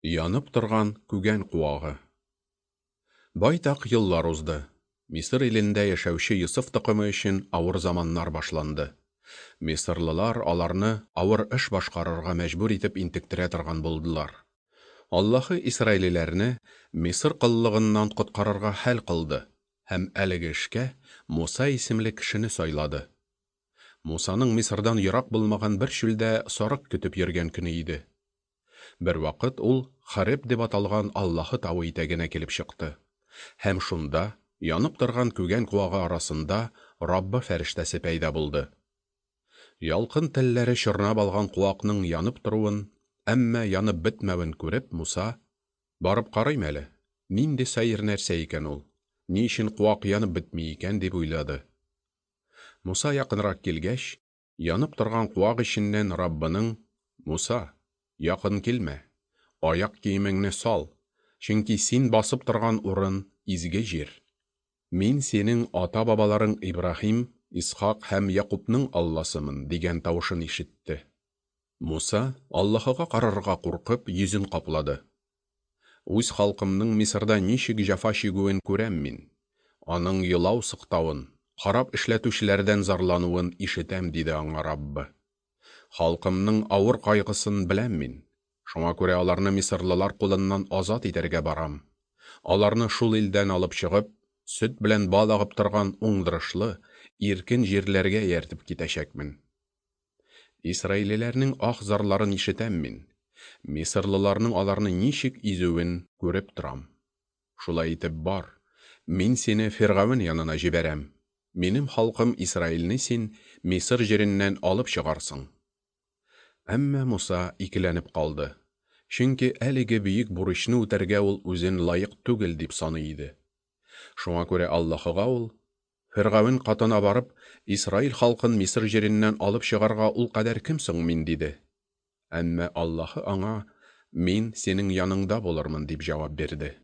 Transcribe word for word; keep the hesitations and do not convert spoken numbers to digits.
Янып торган күгән куагы. Байтак еллар узды. Мисыр илендә яшәүче Йосыф токымы өчен авыр заманнар башланды. Мисырлылар аларны авыр эш башкарырга мәҗбүр итеп интектерә торган булдылар. Аллаһы исраилиләрне Мисыр коллыгыннан коткарырга хәл кылды һәм әлеге эшкә Муса исемле кешене сайлады. Мусаның Мисырдан ерак булмаган бер чүлдә сарык көтеп йөргән көне иде. Бервакыт ул Хореб дип аталган Аллаһы тавы итәгенә килеп чыкты. Һәм шунда, янып торган күгән куагы арасында, Раббы фәрештәсе пәйда булды. Ялкын телләре чорнап алган куакның янып торуын, әмма янып бетмәвен күреп, Муса: «Барып карыйм әле, нинди сәер нәрсә икән ул, ни өчен куак янып бетми икән?» дип уйлады. Муса якынрак килгәч, янып торган куак эченнән Раббының: «Муса, якын килмә, аяк киемеңне сал, чөнки син басып торган урын изге җир. Мин синең ата-бабаларың Ибраһим, Исхак һәм Якубның Алласымын», дигән тавышын ишетте. Муса, Аллаһыга карарга куркып, йөзен каплады. «Үз халкымның Мисырда ничек җәфа чигүен күрәм мин. Аның елау-сыктавын, харап эшләтүчеләрдән зарлануын ишетәм», диде аңа Раббы. «Халкымның авыр кайгысын беләм мин. Шуңа күрә аларны мисырлылар кулыннан азат итәргә барам. Аларны шул илдән алып чыгып, сөт белән бал агып торган уңдырышлы, иркен җирләргә ияртеп китәчәкмен. Исраилиләрнең ах-зарларын ишетәм мин. Мисырлыларның аларны ничек изүен күреп торам. Шулай итеп бар, мин сине Фиргавен янына җибәрәм. Минем халкым Исраилне син Мисыр җиреннән алып чыгарсың». Әмма Муса икеләнеп калды. Чөнки әлеге бөек бурычны үтәргә ул үзен лаек түгел дип саный иде. Шуңа күрә Аллаһыга ул: «Фиргавен катына барып, Исраил халкын Мисыр җиреннән алып чыгарга ул кадәр кем соң мин?» диде. Әмма Аллаһы аңа: «Мин синең яныңда булырмын», дип җавап бирде.